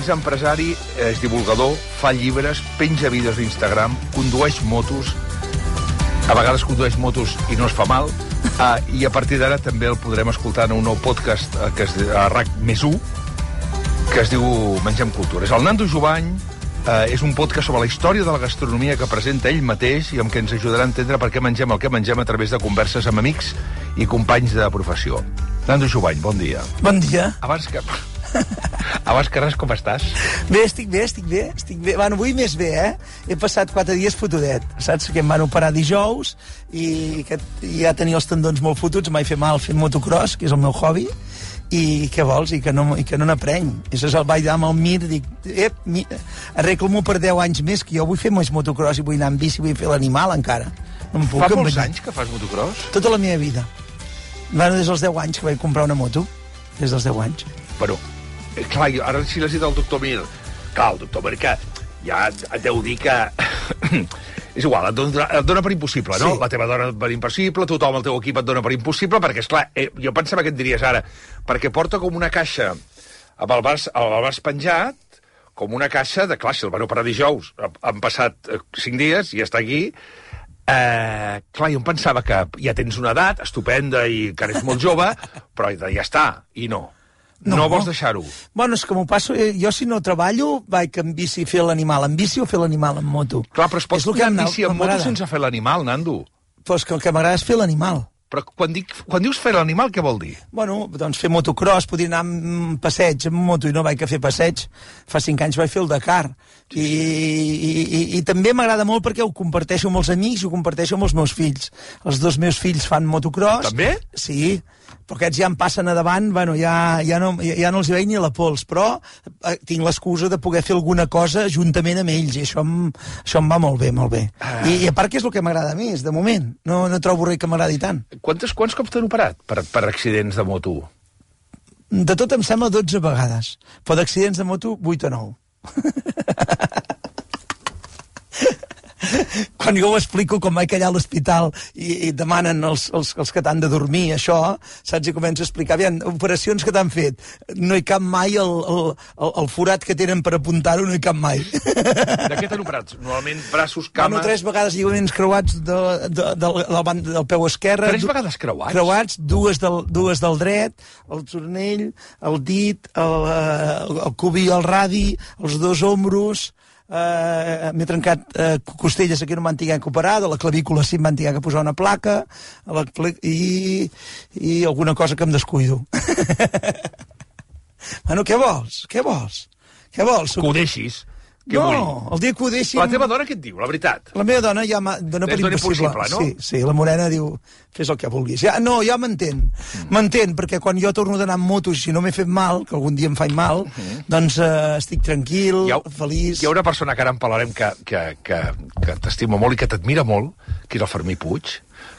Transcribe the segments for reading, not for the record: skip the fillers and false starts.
és empresari, és divulgador, fa llibres, penja vídeos d'Instagram, condueix motos, a vegades condueix motos i no es fa mal, i a partir d'ara també el podrem escoltar en un nou podcast que és a RAC+1, que es diu Mengem Cultura. És el Nando Jubany, és un podcast sobre la història de la gastronomia que presenta ell mateix i amb què ens ajudarà a entendre per què mengem el que mengem a través de converses amb amics i companys de professió. Nando Jubany, bon dia. Bon dia. Abans que res, com estàs? Bé, estic bé. Bueno, avui més bé, He passat 4 dies fotudet. Saps que em van operar dijous i ja tenia els tendons molt fotuts, m'he fet mal fent motocross, que és el meu hobby, i què vols? I que no n'aprenc. I això vaig anar amb el Mir, dic, arregla-m'ho per 10 anys més, que jo vull fer més motocross i vull anar amb bici, vull fer l'animal encara. No em puc Fa molts anys que fas motocross? Tota la meva vida. Bueno, des dels 10 anys que vaig comprar una moto. Des dels 10 anys. Bueno, clar, ara si l'has dit al doctor Mir, clar, el doctor Mir que ja et deu dir que... És igual, et dona per impossible, no? Sí. La teva dona per impossible, tothom al teu equip et dona per impossible, perquè, esclar, jo pensava que et diries ara, perquè porta com una caixa amb el braç penjat, com una caixa de, clar, si el van operar dijous, han passat 5 dies i està aquí. Clar, jo em pensava que ja tens una edat estupenda i que eres molt jove, però ja està, i no. No vols deixar-ho? Bueno, és que m'ho passo... Jo, si no treballo, vaig en bici fer l'animal en bici o fer l'animal en moto. Clar, però es pot pujar en bici en moto sense fer l'animal, Nando. Doncs que el que m'agrada és fer l'animal. Però quan dius fer l'animal, què vol dir? Bueno, doncs fer motocross, podria anar amb passeig amb moto i no vaig a fer passeig. Fa 5 anys vaig fer el Dakar. I també m'agrada molt perquè ho comparteixo amb els amics i ho comparteixo amb els meus fills. Els 2 meus fills fan motocross. També? Sí, però aquests ja em passen a davant, bueno, ja no els veig ni la pols, però tinc l'excusa de poder fer alguna cosa juntament amb ells, i això em va molt bé, molt bé. I a part que és el que m'agrada més, de moment. No trobo res que m'agradi tant. Quants cops t'han operat per accidents de moto? De tot em sembla 12 vegades, però d'accidents de moto 8 o 9. Quan jo ho explico, com vaig allà a l'hospital i demanen els que t'han de dormir, això, saps? I començo a explicar, aviam, operacions que t'han fet, no hi cap mai el forat que tenen per apuntar-ho, no hi cap mai. De què t'han operat? Normalment braços, cames... Bueno, 3 vegades lligaments creuats del peu esquerre. 3 vegades creuats? Creuats, dues del dret, el turnell, el dit, el cubi, el radi, els 2 ombros... m'he trencat costelles aquí, no m'han tingut que operar, de la clavícula sí m'han tingut que posar una placa, i alguna cosa que em descuido. Bueno, què vols? Que ho deixis. No, el dia que ho deixin... La teva dona què et diu, la veritat? La meva dona ja dona per impossible, no? Sí, la Morena diu, fes el que vulguis. Ja m'entén. M'entén, perquè quan jo torno d'anar amb motos, si no m'he fet mal, que algun dia em faig mal, doncs estic tranquil, feliç... Hi ha una persona que ara en parlarem que t'estima molt i que t'admira molt, que és el Fermí Puig,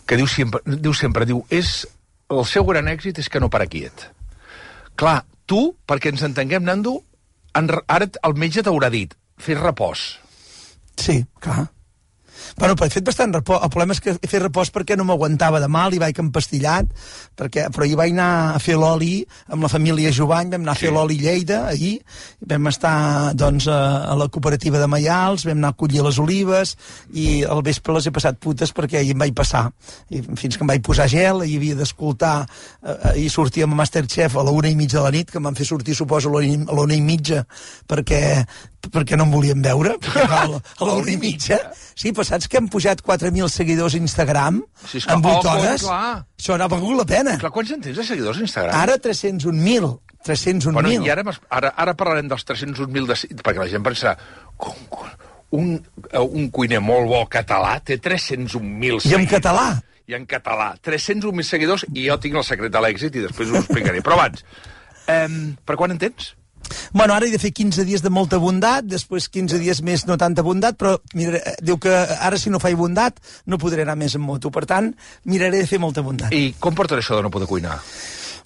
que diu sempre, el seu gran èxit és que no para quiet. Clar, tu, perquè ens entenguem, Nando, ara el metge t'haurà dit, fes repòs. Sí, clar. Bueno, però he fet bastant repòs. El problema és que he fet repòs perquè no m'aguantava de mal i vaig empastillat, però hi vaig anar a fer l'oli amb la família Jubany, vam anar a fer l'oli Lleida ahir, vam estar doncs a la cooperativa de Maials, vam anar a collir les olives i al vespre les he passat putes perquè ahir em vaig passar. I fins que em vaig posar gel, i havia d'escoltar, i sortíem a Masterchef a la 1:30 de la nit, que em van fer sortir, suposo, a la 1:30 perquè no em volien veure, a la 1:30. Sí, però saps que hem pujat 4.000 seguidors a Instagram en 8 hores? Això n'ha valgut la pena. Clar, quants en tens de seguidors a Instagram? Ara 301.000. 301.000. Bueno, i ara parlarem dels 301.000, perquè la gent pensarà, un cuiner molt bo català té 301.000 seguidors. I en català? I en català. 301.000 seguidors, i jo tinc el secret de l'èxit i després us ho explicaré. Però abans, per quan en tens? Bueno, ara he de fer 15 dies de molta bondat, després 15 dies més no tanta bondat, però diu que ara si no faig bondat no podré anar més en moto. Per tant, miraré de fer molta bondat. I com portaré això de no poder cuinar?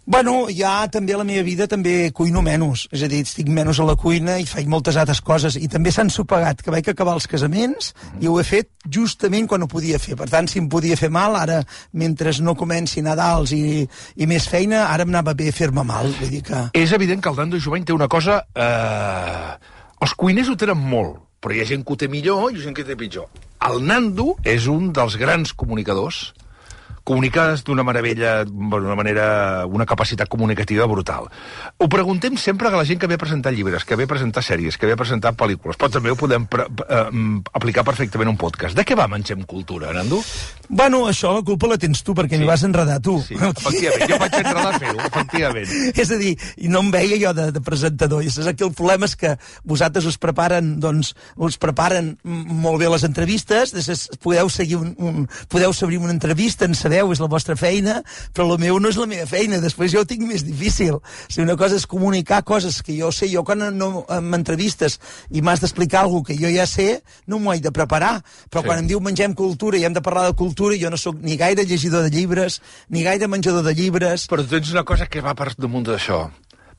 Bueno, ja també a la meva vida també cuino menys, és a dir, estic menys a la cuina i faig moltes altres coses, i també s'ha ensopegat que vaig acabar els casaments i ho he fet justament quan ho podia fer. Per tant, si em podia fer mal, ara, mentre no comenci Nadals i més feina, ara em anava bé fer-me mal. Vull dir que... És evident que el Nando Jovany té una cosa... Els cuiners ho tenen molt, però hi ha gent que ho té millor i gent que ho té pitjor. El Nando és un dels grans comunicadors, comuniques d'una meravella, d'una manera, una capacitat comunicativa brutal. Ho preguntem sempre a la gent que ve a presentar llibres, que ve a presentar sèries, que ve a presentar pel·lícules, però també ho podem aplicar perfectament a un podcast. De què va Mengem Cultura, Nando? Bueno, això la culpa la tens tu, perquè m'hi vas enredar tu. Sí, efectivament, jo vaig enredar a fer-ho, efectivament. És a dir, i no em veia jo de presentador, i saps que el problema és que vosaltres us preparen molt bé les entrevistes, podeu seguir una entrevista, en sabeu, és la vostra feina, però el meu no és la meva feina, després jo ho tinc més difícil. Si una cosa és comunicar coses que jo sé, jo quan m'entrevistes i m'has d'explicar alguna que jo ja sé, no m'ho he de preparar, però quan em diu Mengem Cultura i hem de parlar de cultura, jo no sóc ni gaire llegidor de llibres, ni gaire menjador de llibres. Però tens una cosa que va per damunt d'això.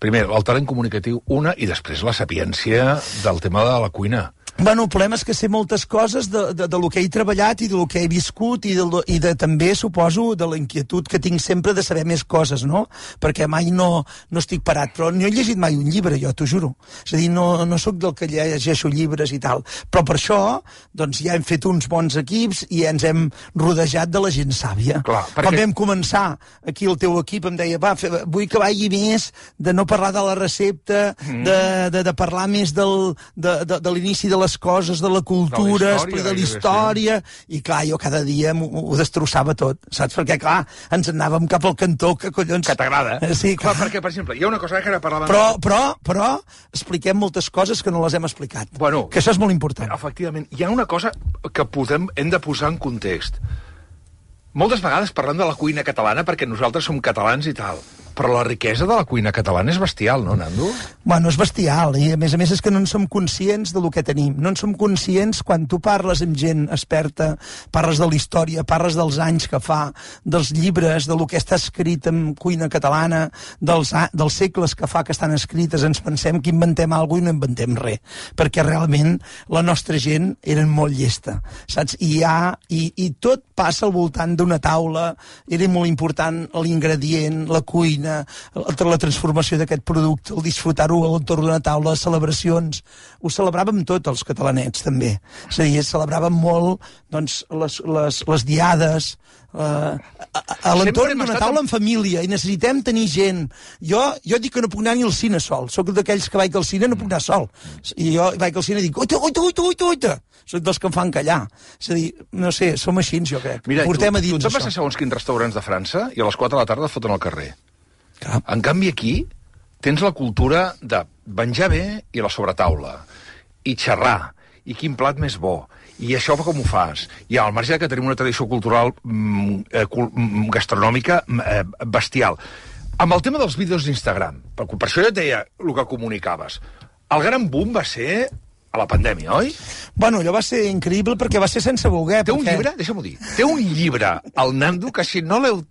Primer, el talent comunicatiu, i després la sapiència del tema de la cuina. Bueno, el problema és que sé moltes coses de lo que he treballat i de lo que he viscut i també, suposo, de la inquietud que tinc sempre de saber més coses, no? Perquè mai no estic parat. Però no he llegit mai un llibre, jo, t'ho juro. És a dir, no sóc del que llegeixo llibres i tal. Però per això, doncs, ja hem fet uns bons equips i ens hem rodejat de la gent sàvia. Clar, perquè... Quan vam començar, aquí el teu equip em deia, vull que vagi més de no parlar de la recepta, de parlar més de l'inici de les coses, de la cultura, de la història, i clar, jo cada dia ho destrossava tot, saps? Perquè clar, ens anàvem cap al cantó, que collons... Que t'agrada. Sí, clar, perquè, per exemple, hi ha una cosa que ara parlàvem... Però expliquem moltes coses que no les hem explicat. Bueno, que això és molt important. Efectivament, hi ha una cosa que hem de posar en context. Moltes vegades parlem de la cuina catalana perquè nosaltres som catalans i tal, però la riquesa de la cuina catalana és bestial, no, Nando? Bueno, és bestial, i a més és que no en som conscients de lo que tenim. No en som conscients quan tu parles amb gent experta, parles de la història, parles dels anys que fa, dels llibres, de lo que està escrit en cuina catalana, dels segles que fa que estan escrites, ens pensem que inventem alguna cosa i no inventem res, perquè realment la nostra gent era molt llesta, saps? I tot passa al voltant d'una taula, era molt important l'ingredient, la cuina, la transformació d'aquest producte, el disfrutar-ho a l'entorn d'una taula, les celebracions. Ho celebràvem tot, els catalanets, també. És a dir, celebràvem molt, doncs, les diades, a l'entorn d'una taula en família, i necessitem tenir gent. Jo dic que no puc anar ni al cine sol. Soc d'aquells que vaig al cine, no puc anar sol. I jo vaig al cine i dic, oita. Soc dels que em fan callar. És a dir, no sé, som així, jo crec. Mira, portem a dins tu vas a segons quins restaurants de França i a les 4 de la tarda et foten al carrer. Clar. En canvi, aquí tens la cultura de menjar bé i la sobretaula, i xerrar, i quin plat més bo, i això com ho fas. I al marge que tenim una tradició cultural gastronòmica bestial. Amb el tema dels vídeos d'Instagram, per això jo et deia el que comunicaves, el gran boom va ser a la pandèmia, oi? Bueno, allò va ser increïble perquè va ser sense voler. Té un llibre, deixa'm-ho dir, té un llibre, el Nando, que si no el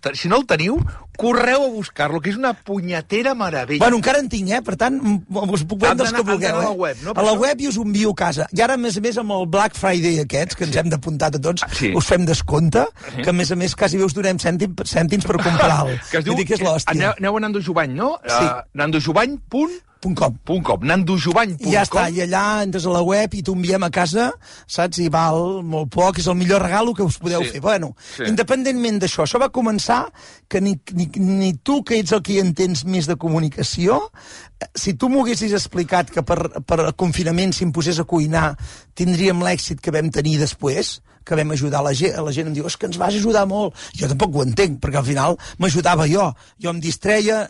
teniu, correu a buscar-lo, que és una punyetera meravella. Bueno, encara en tinc, per tant, us puc vendre els que vulgueu. A la web, no? A la web i us ho envio a casa. I ara, a més, amb el Black Friday aquests, que ens hem d'apuntar a tots, us fem descompte, que a més quasi us donem cèntims per comprar-lo. Que es diu, aneu a Nando Jovany, no? Sí. nandojovany.com. nandojovany.com. I ja està, i allà entres a la web i t'ho enviem a casa, saps? I val molt poc, és el millor regalo que us podeu fer. Bueno, independentment d'això, això va començar que ni tu, que ets el que hi entens més de comunicació, si tu m'ho haguessis explicat que per confinament s'imposés a cuinar tindríem l'èxit que vam tenir després, que vam ajudar la gent em diu, és que ens vas ajudar molt. Jo tampoc ho entenc, perquè al final m'ajudava jo em distreia,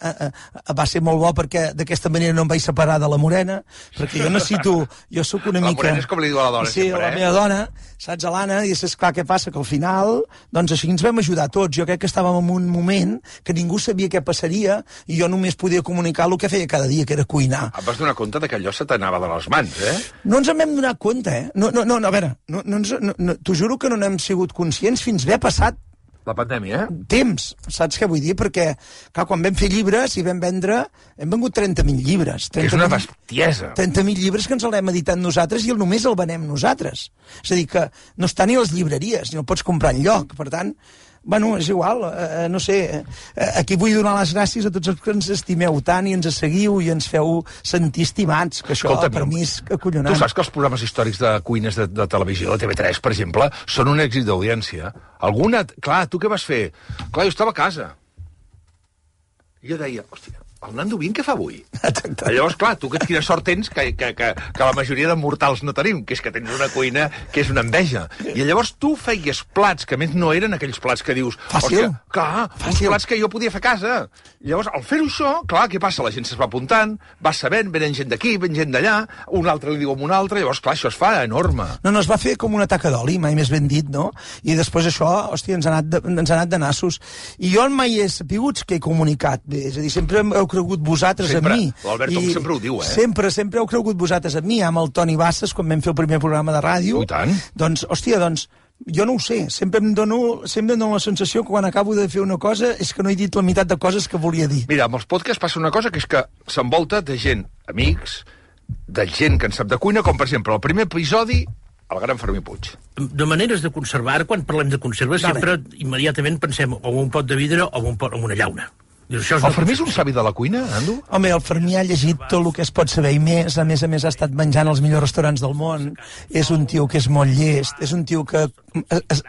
va ser molt bo perquè d'aquesta manera no em vaig separar de la Morena, perquè jo sóc una mica... La Morena és com li diu a la dona, sí, la meva dona, saps, a l'Anna, i és clar què passa, que al final, doncs així ens vam ajudar tots. Jo crec que estàvem en un moment que ningú sabia què passaria i jo només podia comunicar el que feia cada dia, que era cuinar. Et vas donar compte que allò se t'anava de les mans, No ens en vam donar compte, No, a veure, t'ho juro que no n'hem sigut conscients fins haver passat La pandèmia, Temps, saps què vull dir? Perquè, clar, quan vam fer llibres i vam vendre, hem vengut 30.000 llibres. Que és una bestiesa. 30.000 llibres que ens els hem editat nosaltres i només el venem nosaltres. És a dir, que no està ni a les llibreries, ni el pots comprar enlloc. Per tant, bueno, és igual, no sé, aquí vull donar les gràcies a tots els que ens estimeu tant i ens seguiu i ens feu sentir estimats, que això per mi és acollonant. Tu saps que els programes històrics de cuines de televisió, de TV3, per exemple, són un èxit d'audiència? Alguna... Clar, tu què vas fer? Clar, jo estava a casa. I jo deia, hòstia, el Nando Vin què fa avui? Exacte. Llavors, clar, tu quina sort tens que la majoria de mortals no tenim, que és que tens una cuina que és una enveja. I llavors tu feies plats, que a més no eren aquells plats que dius... Fàcil. Hòstia, clar, uns plats que jo podia fer a casa. I llavors, al fer-ho això, clar, què passa? La gent se's va apuntant, va sabent, venen gent d'aquí, ven gent d'allà, un altre li diu a un altre, llavors, clar, això es fa enorme. No, es va fer com una taca d'oli, mai més ben dit, no? I després això, hòstia, ens ha anat de nassos. I jo mai he sapigut que he comunicat bé, és a dir, sempre heu cregut vosaltres sempre, en mi. L'Albert sempre ho diu, Sempre heu cregut vosaltres en mi, amb el Toni Bassas, quan vam fer el primer programa de ràdio. I tant. Doncs, hòstia, jo no ho sé, sempre em dono la sensació que quan acabo de fer una cosa és que no he dit la meitat de coses que volia dir. Mira, amb els podcasts passa una cosa que és que s'envolta de gent, amics, de gent que en sap de cuina, com per exemple el primer episodi, el gran Fermí Puig. De maneres de conservar, quan parlem de conservar, sempre immediatament pensem o en un pot de vidre o en una llauna. El Fermí és un savi de la cuina, Nando? Home, el Fermí ha llegit tot el que es pot saber i més a més ha estat menjant als millors restaurants del món, és un tio que és molt llest, és un tio que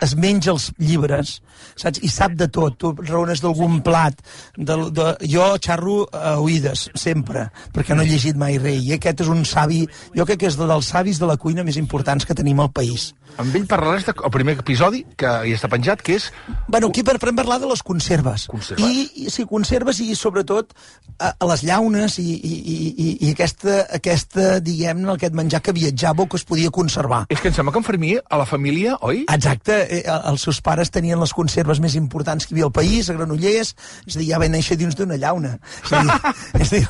es menja els llibres, saps? I sap de tot, tu raones d'algun plat, jo xarro a oïdes, sempre, perquè no he llegit mai res, i aquest és un savi, jo crec que és dels savis de la cuina més importants que tenim al país. Amb ell parlaràs del primer episodi, que hi està penjat, que és... Bueno, aquí podem parlar de les conserves. Sí, conserves i, sobretot, a les llaunes i aquesta diguem-ne, aquest menjar que viatjava o que es podia conservar. És que em sembla que en Fermí, a la família, oi? Exacte. Els seus pares tenien les conserves més importants que hi havia al país, a Granollers, és a dir, ja va néixer dins d'una llauna. És a dir,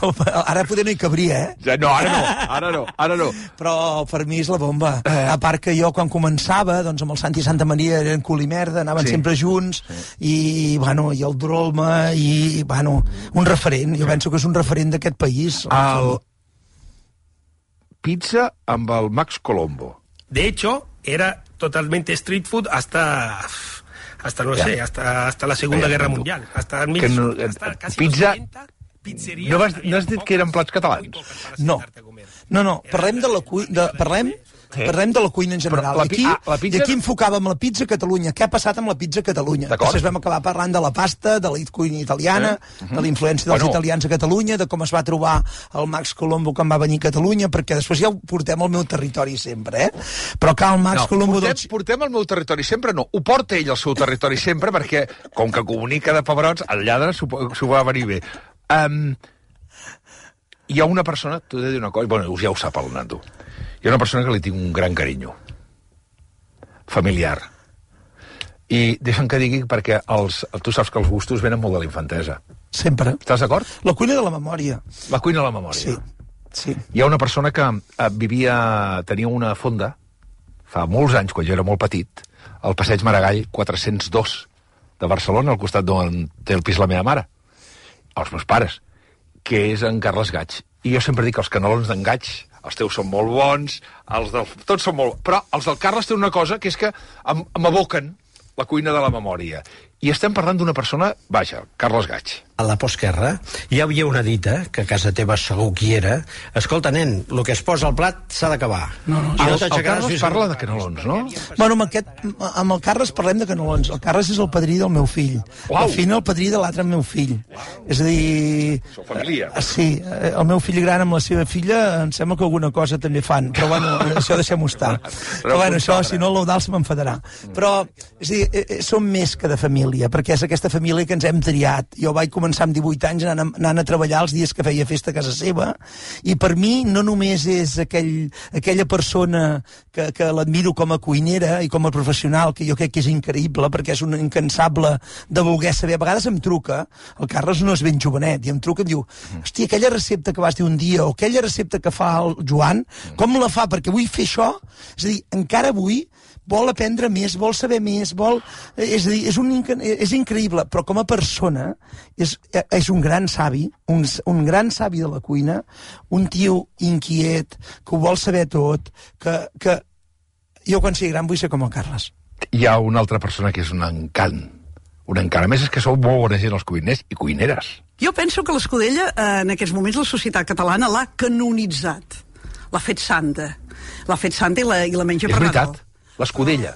ara poder no hi cabria, No, ara no. Però el Fermí és la bomba. A part que jo, quan començava, doncs amb el Santi i Santa Maria eren cul i merda, anaven sempre junts, i el Drolma, i, un referent. Jo penso que és un referent d'aquest país. El pizza amb el Max Colombo. De hecho, era totalmente street food hasta la Segunda Guerra Mundial. Hasta casi pizza... los 90, pizzeria... No has dit que eren plats catalans? No. Parlem de la cuina... Parlem de la cuina en general. I aquí enfocàvem la pizza a Catalunya. Què ha passat amb la pizza a Catalunya? Després vam acabar parlant de la pasta, de la cuina italiana, de la influència dels italians a Catalunya, de com es va trobar el Max Colombo quan va venir a Catalunya, perquè després ja ho portem al meu territori sempre, Però que el Max Colombo... Portem al meu territori sempre, no. Ho porta ell al seu territori sempre, perquè, com que comunica de pebrots, el lladre s'ho va venir bé. Hi ha una persona, t'ho he de dir una cosa, bueno, ja ho sap el Nando, hi ha una persona que li tinc un gran carinyo, familiar, i deixa'm que digui perquè tu saps que els gustos venen molt de la infantesa. Sempre. Estàs d'acord? La cuina de la memòria. La cuina de la memòria. Sí. Hi ha una persona que tenia una fonda fa molts anys, quan jo era molt petit, al passeig Maragall 402 de Barcelona, al costat d'on té el pis la meva mare, els meus pares, que és en Carles Gaig. I jo sempre dic que els canelons d'en Gaig, els teus són molt bons, tots són molt... Però els del Carles tenen una cosa, que és que m'aboquen la cuina de la memòria. I estem parlant d'una persona, vaja, Carles Gaig. A la postguerra hi havia una dita, que a casa teva segur qui era: escolta, nen, el que es posa al plat s'ha d'acabar. El Carles parla de canelons, no? Bueno, amb el Carles parlem de canelons. El Carles és el padrí del meu fill. El fill el padrí de l'altre meu fill. És a dir... Sou família. Sí, el meu fill gran amb la seva filla em sembla que alguna cosa també fan. Però bueno, això deixem-ho estar. Però bueno, això, si no l'Eudal se m'enfadarà. Però, és a dir, som més que de família, perquè és aquesta família que ens hem triat. Jo vaig començar amb 18 anys anant a treballar els dies que feia festa a casa seva, i per mi no només és aquella persona que l'admiro com a cuinera i com a professional, que jo crec que és increïble, perquè és un incansable de voler saber. A vegades em truca, el Carles no és ben jovenet, i em truca i em diu: hòstia, aquella recepta que vas dir un dia, o aquella recepta que fa el Joan, com la fa? Perquè vull fer això. És a dir, encara avui vol aprendre més, vol saber més, és a dir, és és increïble, però com a persona és un gran savi, un gran savi de la cuina, un tio inquiet, que ho vol saber tot, que jo quan sigui gran vull ser com el Carles. Hi ha una altra persona que és un encant. Un encant. A més, és que sou molt bona gent els cuiners i cuineres. Jo penso que l'Escudella, en aquests moments, la societat catalana l'ha canonitzat. L'ha fet santa. L'ha fet santa i la menja per Nadal. És veritat. L'Escudella.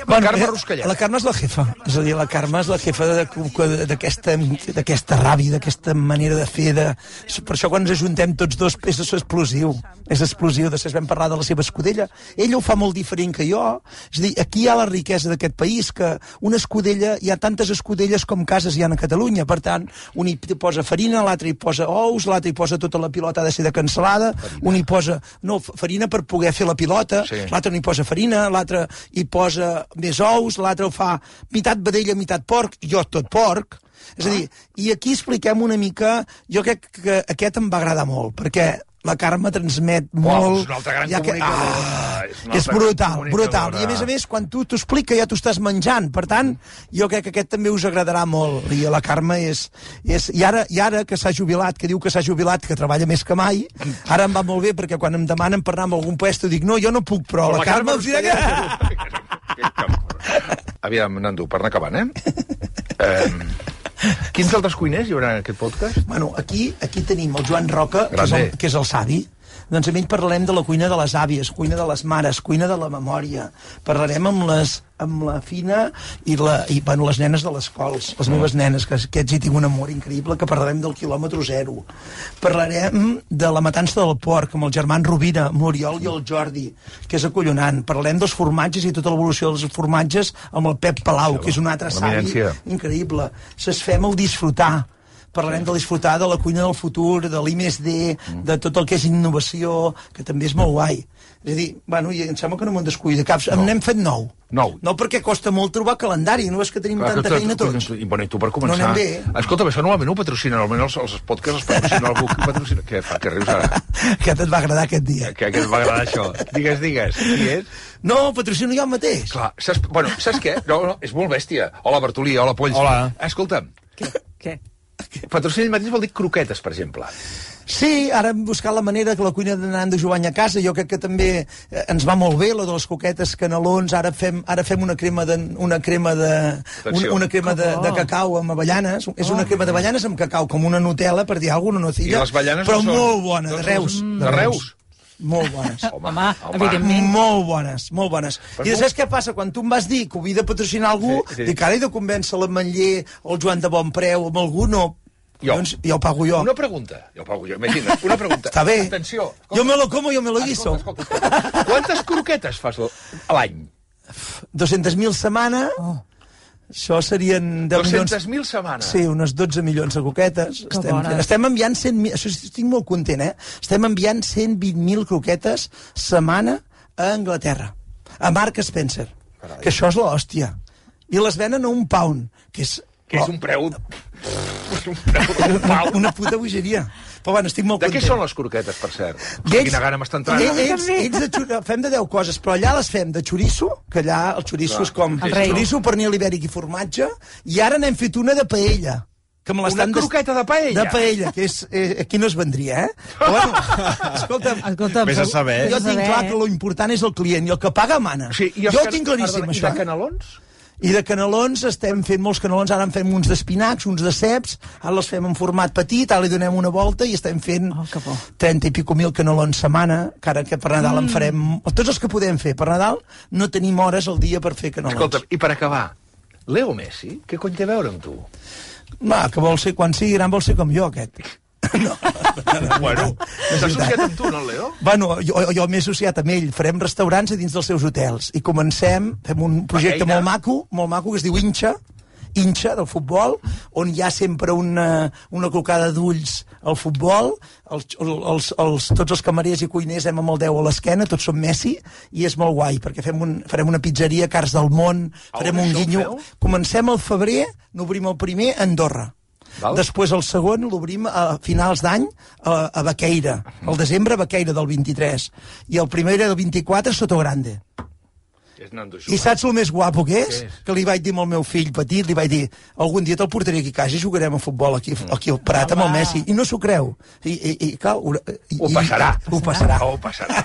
Bueno, Carme Ruscallà. La Carme és la jefa. És a dir, la Carme és la jefa d'aquesta ràbia, d'aquesta manera de fer. Per això quan ens ajuntem tots dos és explosiu. És explosiu. Després vam parlar de la seva escudella. Ella ho fa molt diferent que jo. És a dir, aquí hi ha la riquesa d'aquest país, que una escudella, hi ha tantes escudelles com cases hi ha a Catalunya. Per tant, un hi posa farina, l'altre hi posa ous, l'altre hi posa tota la pilota ha de ser de cansalada, un hi posa farina per poder fer la pilota, l'altre no hi posa farina, l'altre hi posa més ous, l'altre ho fa meitat vedella, meitat porc, jo tot porc. És a dir, i aquí expliquem una mica, jo crec que aquest em va agradar molt, perquè la Carme transmet molt... És una altra gran comunicadora. És brutal. I a més, quan tu t'ho explica ja t'ho estàs menjant. Per tant, jo crec que aquest també us agradarà molt. I la Carme és... I ara que s'ha jubilat, que diu que s'ha jubilat, que treballa més que mai, ara em va molt bé, perquè quan em demanen per anar a algun puesto dic, no, jo no puc, però la Carme us dirà que... Aviam, Nando, per anar acabant, quins altres cuiners hi haurà en aquest podcast? Bueno, aquí tenim el Joan Roca, que és el savi. Doncs amb ell parlarem de la cuina de les àvies, cuina de les mares, cuina de la memòria. Parlarem amb la Fina i les nenes de les cols, les meves nenes, que aquests hi tinc un amor increïble, que parlarem del quilòmetre zero. Parlarem de la matança del porc, amb el Germán Rovira, l'Oriol i el Jordi, que és acollonant. Parlarem dels formatges i tota l'evolució dels formatges amb el Pep Palau, que és un altre savi increïble. Fem el disfrutar. Parlarem de disfrutar de la cuina del futur, de l'I+D, de tot el que és innovació, que també és molt guai. És a dir, bueno, i em sembla que no m'ho descuida caps. N'hem fet 9. No, perquè costa molt trobar calendari, no és que tenim tanta feina tots. I bueno, i tu per començar... No anem bé. Escolta, això normalment ho patrocinen, almenys els podcasts els patrocina algú que patrocina... Què fa, que rius ara? Aquest et va agradar aquest dia. Que et va agradar això. Digues, qui és? No, patrocino jo mateix. Clar, saps què? No, és molt bèstia. Hola, Bertolí, hola, Polls. Hola. Escolta'm. Què? Patrocinar ell mateix vol dir croquetes, per exemple. Sí, ara hem buscat la manera que la cuina de Nando Jovany a casa, jo crec que també ens va molt bé, la de les coquetes, canelons, ara fem una crema de cacau amb avellanes, és una crema d'avellanes amb cacau, com una Nutella, per dir alguna cosa, I les avellanes però són... molt bona, de Reus. De Reus? Molt bones. Home, evidentment. Molt bones. I després què passa? Quan tu em vas dir que ho havia de patrocinar algú, dic, ara he de convèncer l'Ametller o el Joan de Bonpreu, amb algú, no. Doncs ja ho pago jo. Una pregunta. Ja ho pago jo, imagina't. Una pregunta. Està bé. Atenció. Jo me lo como, yo me lo guiso. Escolta. Quantes croquetes fas a l'any? 200.000 setmana. Això serien 10 milions... 200.000 setmanes? Sí, unes 12 milions de coquetes. Estem enviant 100.000... Això estic molt content, Estem enviant 120.000 croquetes setmana a Anglaterra. A Mark Spencer. Carai. Que això és l'hòstia. I les venen a un pound, que és... Que és un preu... Una puta bogeria. Però bueno, estic molt content. De què són les croquetes, per cert? Quina gana m'està entrant. Fem de 10 coses, però allà les fem de xoriço, que allà el xoriço és com xoriço, pernil ibèric i formatge, i ara n'hem fet una de paella. Una croqueta de paella? De paella, que és... aquí no es vendria, Però bueno, escolta'm, vés a saber. Jo tinc clar que l'important és el client, i el que paga mana. Sí, jo ho tinc claríssim, això. I de canelons? I de canelons estem fent molts canelons, ara en fem uns d'espinacs, uns de ceps, ara els fem en format petit, ara li donem una volta i estem fent 30 i pico mil canelons setmana, que ara que per Nadal en farem... Tots els que podem fer. Per Nadal no tenim hores al dia per fer canelons. Escolta, i per acabar, Leo Messi, què cony té a veure amb tu? No, que vol ser, quan sigui gran vol ser com jo, aquest. No. Bueno, s'ha associat amb tu, no, Leo? Bueno, jo m'he associat amb ell. Farem restaurants a dins dels seus hotels. I comencem, fem un projecte molt maco, que es diu Inxa, del futbol, on hi ha sempre una clocada d'ulls al futbol, tots els camarers i cuiners hem amb el 10 a l'esquena, tots som Messi, i és molt guai, perquè farem una pizzeria, Cars del Món, farem un guinyo. Comencem al febrer, n'obrim el primer a Andorra. Després el segon l'obrim a finals d'any a Baqueira, al desembre a Baqueira del 23, i el primer del 24 a Sotogrande. És Nando I Schubert. saps el més guapo que és? Què és? Que li vaig dir al meu fill petit, li vaig dir, algun dia te'l portaré aquí a casa i jugarem a futbol aquí al Prat amb el Messi. I no s'ho creu. I cal... Ho passarà. Ho passarà. Ho passarà.